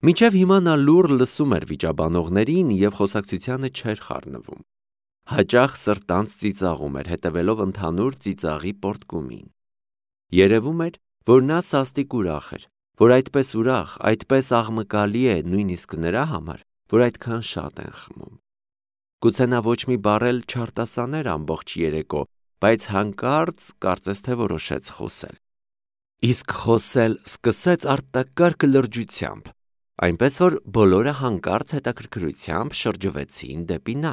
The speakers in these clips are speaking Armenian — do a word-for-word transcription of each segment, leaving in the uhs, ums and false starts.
Մինչև հիմա նա լուռ լսում էր վիճաբանողներին և խոսակցությանը չէր խառնվում։ Հաճախ սրտանց ծիծաղում էր, հետևելով ընդհանուր ծիծաղի պոռթկումին։ Երևում էր, որ նա սաստիկ ուրախ էր, որ այդպես ուրախ, այդպես աղմկալի է նույնիսկ նրա համար, որ այդքան շատ են խմում։ Գուցե նա ոչ մի բառ էլ չարտասաներ ամբողջ երեկո, բայց հանկարծ կարծես թե որոշեց խոսել։ Իսկ խոսել սկսեց արտակարգ լրջությամբ, այնպես որ բոլորը հանկարծ հետաքրքրությամբ շրջվեցին դեպի նա։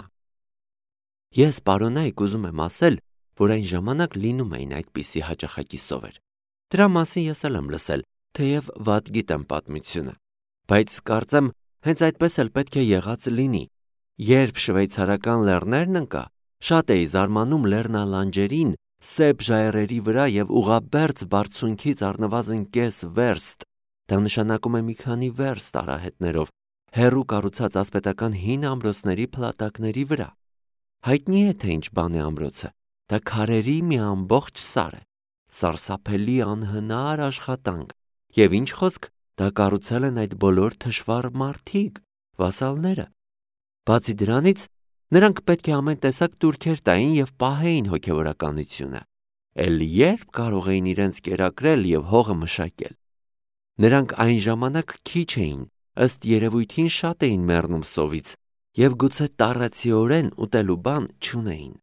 Ես, պարոնայք, ուզում եմ ասել, որ այն ժամանակ լինում էին այդպիսի հաճախակի սովեր։ Դրա մասին ես էլ եմ լսել, թեև վատ գիտեմ պատմությունը, բայց կարծեմ հենց այդպես էլ պետք է եղած լինի։ Երբ շվեյցարական լեռներն ընկա, շատ էի զարմանում լեռնալանջերին, սև ժայռերի վրա և ուղղաբերձ բարձունքից առնվազն կես վերստ, դա նշանակում է մի քանի վերստ արահետներով, հեռու կառուցած ասպետական հին ամրոցների փլատակների վրա։ Հայտնի է, թե ինչ բան է ամրոցը, դա քարերի մի ամբողջ սար է, սարսափելի անհնար աշխատանք, և ինչ խոսք, դա կառուցել են այդ բոլոր թշվառ մարդիկ, վասալները։ Բացի դրանից, նրանք պետք է ամեն տեսակ տուրքեր տային և պահեին հոգևորականությունը, էլ երբ կարող էին իրենց կերակրել և հողը մշակել։ Նրանք այն ժամանակ քիչ էին, ըստ երևույթին շատ էին մեռնում սովից և գուցե տառացիորեն ուտելու բան չունեին։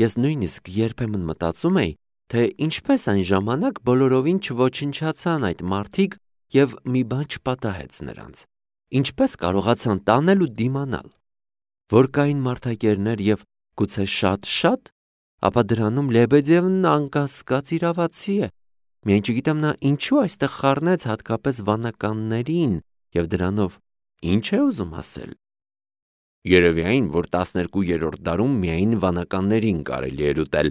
Ես նույնիսկ երբեմն մտածում էի, թե ինչպես այն ժամանակ բոլորովին չոչնչացան այդ մարդիկ և մի բան չպատահեց նրանց, ինչպես կարողացան տանել ու դիմանալ։ Որ կային մարդակերներ և գուցե շատ-շատ, ապա դրանում Լեբեդևն անկասկած իրավացի է, միայն չգիտեմ նա ինչու այստեղ խառնեց հատկապես վանականներին և դրանով ինչ է ուզում ասել։ Երևի այն, որ տասներկուերորդ դարում միայն վանականներին կարելի էր ուտել,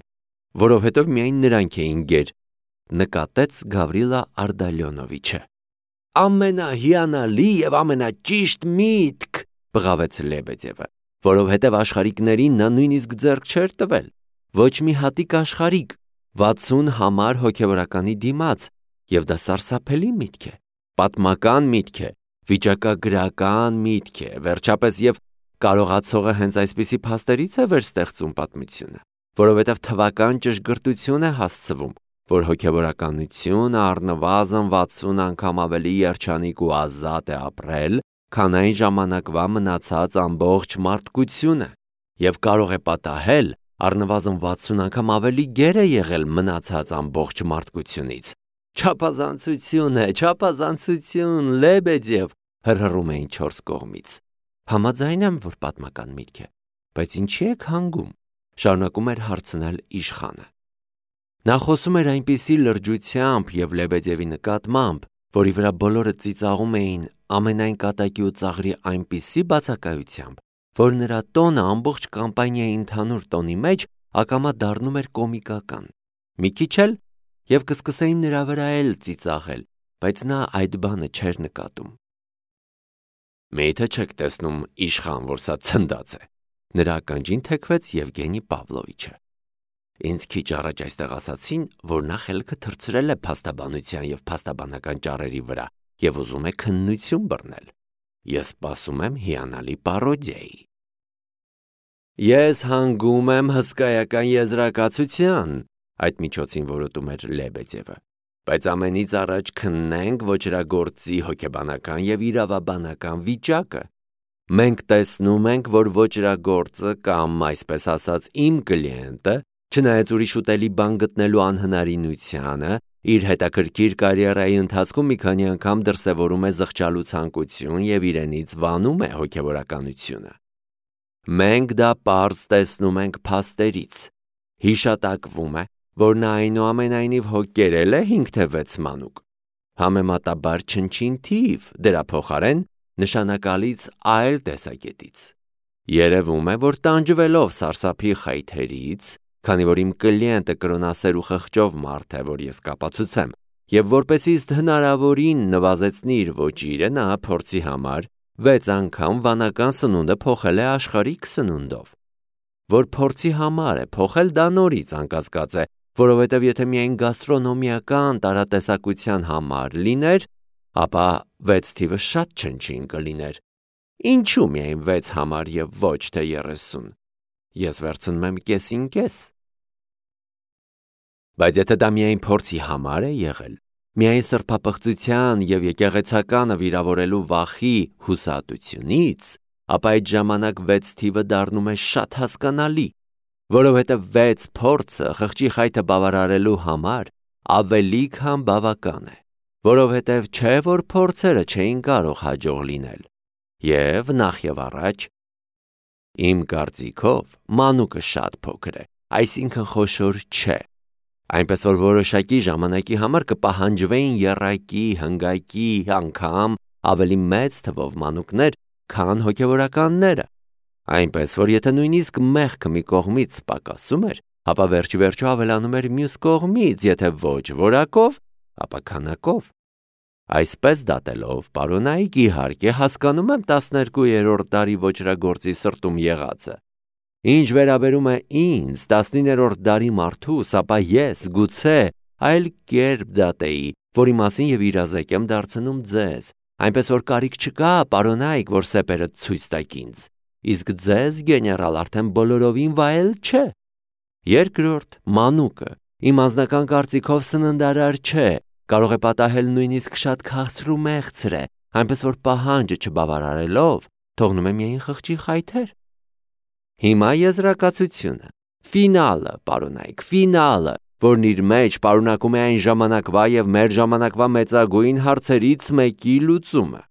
որովհետև միայն նրանք էին գեր, նկատեց Գավրիլա Արդալյոնովիչը։ Ամենահիանալի և ամենաճիշտ միտք, բղավեց Լեբեդևը, որովհետև աշխարհիկներին նա նույնիսկ ձեռք չէր տվել, ոչ մի հատիկ աշխարհիկ, վաթսուն համար հոգևորականի դիմաց, և դա սարսափելի միտք է, պատմական միտք է, վիճակագրական միտք է, վերջապես և կարողացողը հենց այսպիսի փաստերից է վերստեղծում պատմությունը, որովհետև թվական ճշգրտություն է հասցվում, որ հոգևորականությունը առնվազն վաթսուն անգամ ավելի երջանիկ ու ազատ է ապրել, քան այն ժամանակվա մնացած ամբողջ մարդկությունը, և կարող է պատահել առնվազն վաթսուն անգամ ավելի գեր է եղել մնացած ամբողջ մարդկությունից։ Չափազանցություն է, չափազանցություն, Լեբեդև, հռհռում էին չորս կողմից։ Համաձայն եմ, որ պատմական միտք է, բայց ինչի եք հանգում, շարունակում էր հարցնել իշխանը։ Նա խոսում էր այնպիսի լրջությամբ և Լեբեդևի նկատմամբ, որի վրա բոլորը ծիծաղում էին ամենայն կատակի ու ծաղրի այնպիսի բացակայությամբ, որ նրա տոնը ամբողջ կամպանիայի ընդհանուր տոնի մեջ ակամա դառնում էր կոմիկական։ Մի քիչ էլ և կսկսեին նրա վրա էլ ծիծաղել, բայց նա այդ բանը չէր նկատում։ Մի՞թե չեք տեսնում, իշխան, որ սա ցնդած է, նրա ականջին թեքվեց Եվգենի Պավլովիչը։ Ինձ քիչ առաջ այստեղ ասացին, որ նա խելքը թռցրել է փաստաբանության և փաստաբանական ճառերի վրա և ուզում է քննություն բռնել։ Ես սպասում եմ հիանալի պարոդիայի։ Ես հանգում եմ հսկայական եզրակացության, այդ միջոցին որոտում էր Լեբեդևը, բայց ամենից առաջ քննենք ոճրագործի հոգեբանական և իրավաբանական վիճակը։ Մենք տեսնում ենք, որ ոճրագործը կամ, այսպես ասած, իմ կլիենտը, չնայած ուրիշ ուտելի բան գտնելու անհնարինությանը, իր հետաքրքիր կարիերայի ընթացքում մի քանի անգամ դրսևորում է զղջալու ցանկություն և իրենից վանում է հոգևորականությունը։ Մենք դա պարզ տեսնում ենք փաստերից։ Հիշատակվում է, որ նա այնուամենայնիվ հո կերել է հինգ թե վեց մանուկ։ Համեմատաբար չնչին թիվ, դրա փոխարեն նշանակալից այլ տեսակետից։ Երևում է, որ տանջվելով սարսափի խայթերից, քանի որ իմ կլիենտը կրոնասեր ու խղճով մարդ է, որ ես կապացուցեմ, և որպեսզի իսկ հնարավորին նվազեցնի իր ոճիրը, նա փորձի համար վեց անգամ վանական սնունդը փոխել է աշխարհիկ սնունդով։ Որ փորձի համար է փոխել, դա նորից անկասկած է, որովհետև եթե միայն գաստրոնոմիական տարատեսակության համար լիներ, ապա վեց թիվը շատ չնչին կլիներ։ Ինչու միայն վեց համար և ոչ թե երեսուն։ Ես վերցնում եմ կեսին կես։ Բայց եթե դա միայն փորձի համար է եղել, միայն սրբապղծության և եկեղեցականը վիրավորելու վախի հուսահատությունից, ապա այդ ժամանակ վեց թիվը դառնում է շատ հասկանալի, որովհետև վեց փորձը խղճի խայթը բավարարելու համար ավելի քան բավական է, որովհետև չէ որ փորձերը չէին կարող հաջող լինել։ Եվ նախ և առաջ, իմ կարծիքով, մանուկը շատ փոքր է, այսինքն խոշոր չէ, այնպես որ որոշակի ժամանակի համար կպահանջվեին եռակի, հնգակի, անգամ ավելի մեծ թվով մանուկներ, քան հոգևորականները, այնպես որ եթե նույնիսկ մեղքը մի կողմից պակասում էր, ապա վերջ-ի-վերջո ավելանում էր մյուս կողմից, եթե ոչ որակով, ապա քանակով։ Այսպես դատելով, պարոնայք, իհարկե հասկանում եմ տասներկուերորդ դարի ոճրագործի սրտում եղածը։ Ինչ վերաբերում է ինձ, տասնիններորդ դարի մարդուս, ապա ես գուցե այլ կերպ դատեի, որի մասին և իրազեկ եմ դարձնում ձեզ, այնպես որ կարիք չկա, պարոնայք, որ սեպերը ցույց տաք ինձ, իսկ ձեզ, գեներալ, արդեն բոլորովին վայել չէ։ Երկրորդ, մանուկը, իմ անձնական կարծիքով սննդարար չէ, կարող է պատահել նույնիսկ շատ քաղցր ու մեղցր է, այնպես որ պահանջը չբավարարելով, թողնում է միայն խղճի խայթեր։ Հիմա եզրակացությունը, ֆինալը, պարոնայք, ֆինալը, որն իր մեջ պարունակում է այն ժամանակվա և մեր ժամանակվա մեծագույն հարցերից մեկի լուծումը։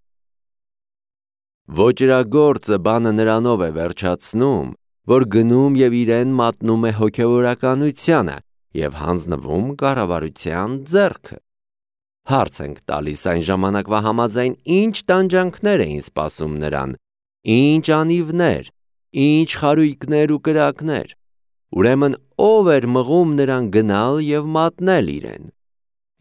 Ոճրագործը բանը նրանով է վերջացնում, որ գնում և իրեն մատնում է հոգևորականությանը և հանձնվում կառավարության ձեռքը։ Հարց ենք տալիս այն ժամանակվա համաձայն ինչ տանջանքներ էին սպասում նրան, ինչ անիվներ, ինչ խարույկներ ու կրակներ, ուրեմն ով էր մղում նրան գնալ և մատնել իրեն։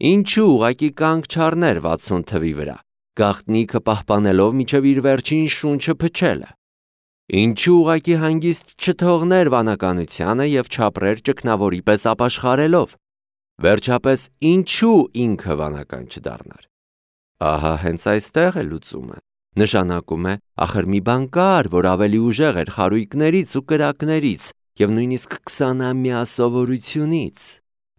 Ինչու ուղղակի կանգ չառներ վաթսուն թվի վրա, գաղտնիքը պահպանելով մինչև իր վերջին շունչը փչելը։ Ինչու ուղղակի հանգիստ չթողներ վանականությանը և չապրեր ճգնավորի պես ապաշխարելով։ Վերջապես ինչու ինքը վանական չդառնար։ Ահա հենց այստեղ է լուծումը։ Նշանակում է, ախր մի բան կար, որ ավելի ուժեղ էր խարույկներից ու կրակներից և նույնիսկ քսանամյա սովորությունից։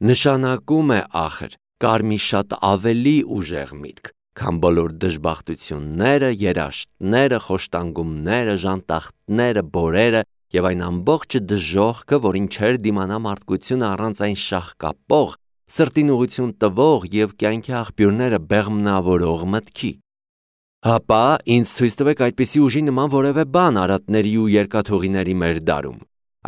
Նշանակում է, ախր, կար մի շատ ավելի ուժեղ միտք, քան բոլոր դժբախտությունները, երաշտները, խոշտանգումները, ժանտախտները, բորերը և այն ամբողջ դժոխքը, որին չէր դիմանա մարդկությունը առանց այն շաղկապող, սրտին ուղղություն տվող և կյանքի աղբյուրները բեղմնավորող մտքի։ Հապա ինձ ցույց տվեք այդպիսի ուժի նման որևէ բան արատների ու երկաթուղիների մեր դարում,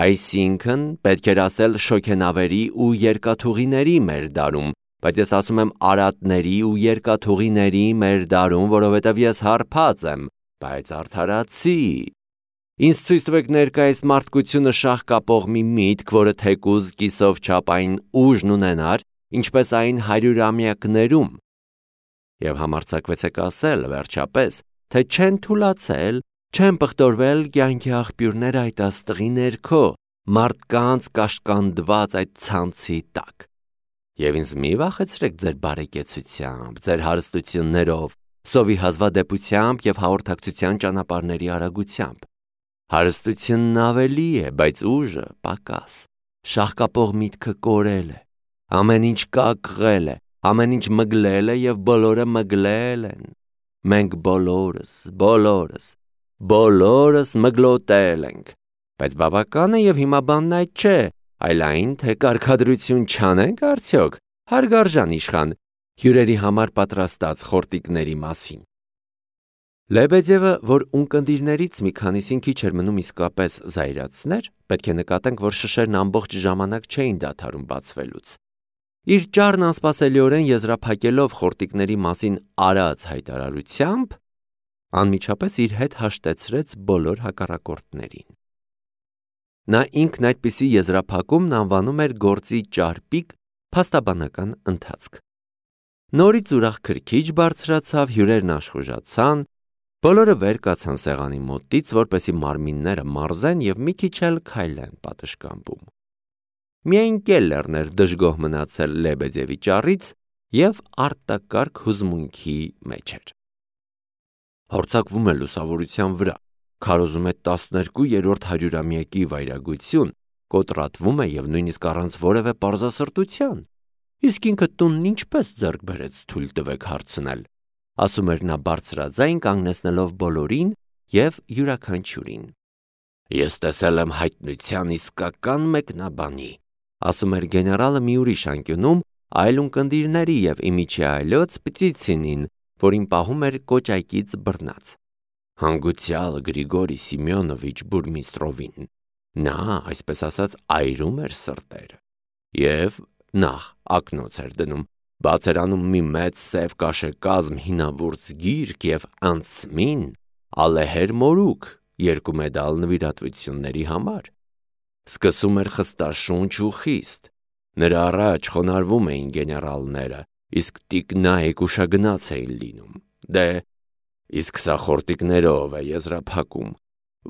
այսինքն պետք էր ասել շոգենավերի ու երկաթուղիների մեր դարում, բայց ես ասում եմ արատների ու երկաթուղիների մեր դարում, որովհետև ես հարբած եմ, բայց արդարացի։ Ինձ ցույց տվեք ներկայիս մարդկությունը շաղկապող մի միտք, որը թեկուզ կիսով չափ այն ուժն ունենար, ինչպես այն հարյուրամյակներում։ Եվ համարձակվեցեք ասել, վերջապես, թե չեն թուլացել, չեն պղտորվել կյանքի աղբյուրները այդ աստղի ներքո, մարդկանց կաշկանդված այդ ցանցի տակ։ Եվ ինձ մի վախեցրեք ձեր բարեկեցությամբ, ձեր հարստություններով, սովի հազվադեպությամբ և հաղորդակցության ճանապարհների արագությամբ։ Հարստությունն ավելի է, բայց ուժը պակաս, շաղկապող միտքը կորել է, ամեն ինչ կակղել է, ամեն ինչ մգլել է և բոլորը մգլել են։ Մենք բոլորս, բոլորս, բոլորս մգլոտել ենք, բայց բավական է և հիմա բանն այդ չէ, այլ այն, թե կարգադրություն չանենք արդյոք, հարգարժան իշխան, հյուրերի համար պատրաստած խորտիկների մասին։ Լեբեդևը, որ ունկնդիրներից մի քանիսին քիչ էր մնում իսկապես զայրացներ, պետք է նկատենք, որ շշերն ամբողջ ժամանակ չէին դադարում բացվելուց։ Իր ճառն անսպասելիորեն եզրափակելով խորտիկների մասին արած հայտարարությամբ, անմիջապես իր հետ հաշտեցրեց բոլոր հակառակորդներին։ Նա ինքն այդպիսի եզրափակումն անվանում էր գործի ճարպիկ փաստաբանական ընթացք։ Նորից ուրախ քրքիջ բարձրացավ, հյուրերն աշխուժացան, բոլորը վեր կացան սեղանի մոտից, որպեսզի մարմինները մարզեն և մի քիչ էլ քայլեն պատշգամբում։ Միայն Կելլերն էր դժգոհ մնացել Լեբեդևի ճառից և արտակարգ հուզմունքի մեջ էր։ Հարձակվում է լուսավորության վրա, քարոզում է տասներկուերորդ հարյուրամյակի վայրագություն, կոտրատվում է և նույնիսկ առանց որևէ պարզասրտության։ Իսկ ինքը տունն ինչպես ձեռք բերեց թույլ տվեք հարցնել, ասում էր նա բարձրաձայն կանգնեցնելով բոլորին և յուրաքանչյուրին։ Ես տեսել եմ հայտնության իսկական մեկնաբանի, ասում էր գեներալը մի ուրիշ անկյունում այլ ունկնդիրների և իմիջի այլոց Պտիցինին, որին պահում էր կոճակից բռնած։ Հանգուցյալ Գրիգորի Սիմեոնովիչ Բուրմիստրովին։ Նա, այսպես ասած, այրում էր սրտերը։ Եվ նախ ակնոց էր դնում, բաց էր անում մի մեծ սև կաշեկազմ հինավուրց գիրք և անցմին ալեհեր մորուք երկու մեդալ նվիրատվությունների համար։ Սկսում էր խստաշունչ ու խիստ։ Նրա առաջ խոնարհվում էին գեներալները, իսկ տիկնայք ուշագնաց էին լինում։ Դե, իսկ սա խորտիկներով է եզրափակում,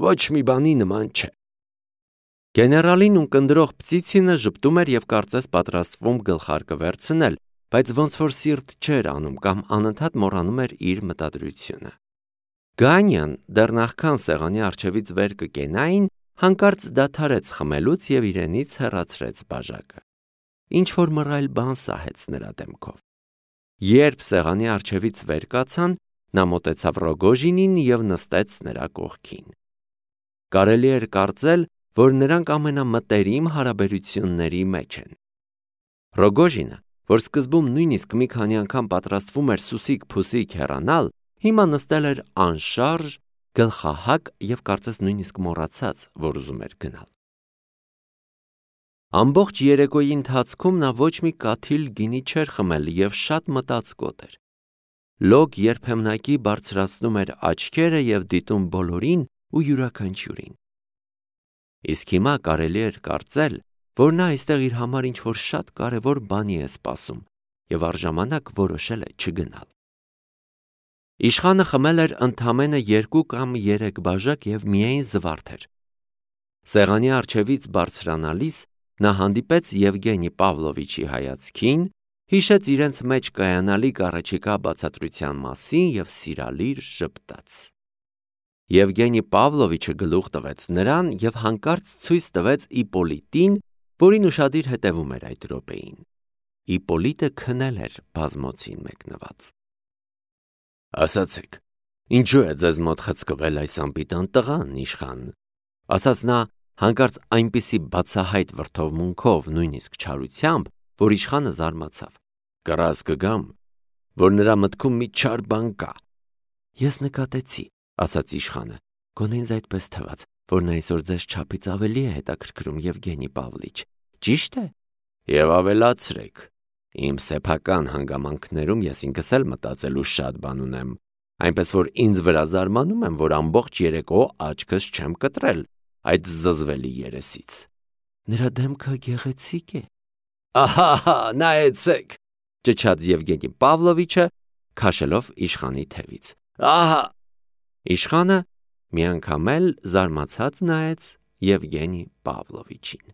ոչ մի բանի նման չէ։ Գեներալին ունկնդրող Պտիցինը ժպտում էր և կարծես պատրաստվում գլխարկը վերցնել, բայց ոնց որ սիրտ չէր անում կամ անընդհատ մոռանում էր իր մտադրությունը։ Գանյան դեռ նախքան սեղանի առջևից վեր կկենային, հանկարծ դադարեց խմելուց և իրենից հեռացրեց բաժակը։ Ինչ-որ մռայլ բան սահեց նրա դեմքով։ Երբ սեղանի առջևից վեր կացան, նա մոտեցավ Ռոգոժինին և նստեց նրա կողքին։ Կարելի էր կարծել, որ նրանք ամենամտերիմ հարաբերությունների մեջ են։ Ռոգոժինը, որ սկզբում նույնիսկ մի քանի անգամ պատրաստվում էր սուսիկ-փուսիկ հեռանալ, հիմա նստել էր անշարժ, գլխահակ և կարծես նույնիսկ մոռացած, որ ուզում էր գնալ։ Ամբողջ երեկոյի ընթացքում նա ոչ մի կաթիլ գինի չէր խմել և շատ մտածկոտ էր։ Լոկ երբեմնակի բարձրացնում էր աչքերը և դիտում բոլորին ու յուրաքանչյուրին։ Իսկ հիմա կարելի էր կարծել, որ նա այստեղ իր համար ինչ-որ շատ կարևոր բանի է սպասում և առժամանակ որոշել է չգնալ։ Իշխանը խմել էր ընդամենը երկու կամ երեք բաժակ և միայն զվարթ էր։ Սեղանի առջևից բարձրանալիս նա հանդիպեց Եվգենի Պավլովիչի հայացքին, հիշեց իրենց մեջ կայանալիք առաջիկա բացատրության մասին և սիրալիր ժպտաց։ Եվգենի Պավլովիչը գլուխ տվեց նրան և հանկարծ ցույց տվեց Իպոլիտին, որին ուշադիր հետևում էր այդ րոպեին։ Իպոլիտը քնել էր բազմոցին մեկնված։ Ասացեք, ինչու է ձեզ մոտ խցկվել այս անպիտան տղան, իշխան, ասաց նա հանկարծ այնպիսի բացահայտ վրդովմունքով, նույնիսկ չարությամբ, որ իշխանը զարմացավ։ Կռաս կգամ, որ նրա մտքում մի չար բան կա։ Ես նկատեցի, ասաց իշխանը, գոնե ինձ այդպես թվաց, որ նա այսօր ձեզ չափից ավելի է հետաքրքրում, Եվգենի Պավլիչ, ճի՞շտ է։ Եվ ավելացրեք, իմ սեփական հանգամանքներում ես ինքս էլ մտածելու շատ բան ունեմ, այնպես որ ինձ վրա զարմանում եմ, որ ամբողջ երեկո աչքս չեմ կտրել այդ զզվելի երեսից։ Նրա դեմքը գեղեցիկ է։ Ահա, նայեցեք, ճչաց Եվգենի Պավլովիչը, քաշելով իշխանի թևից։ Ահա։ Իշխանը մի անգամ էլ զարմացած նայեց Եվգենի Պավլովիչին։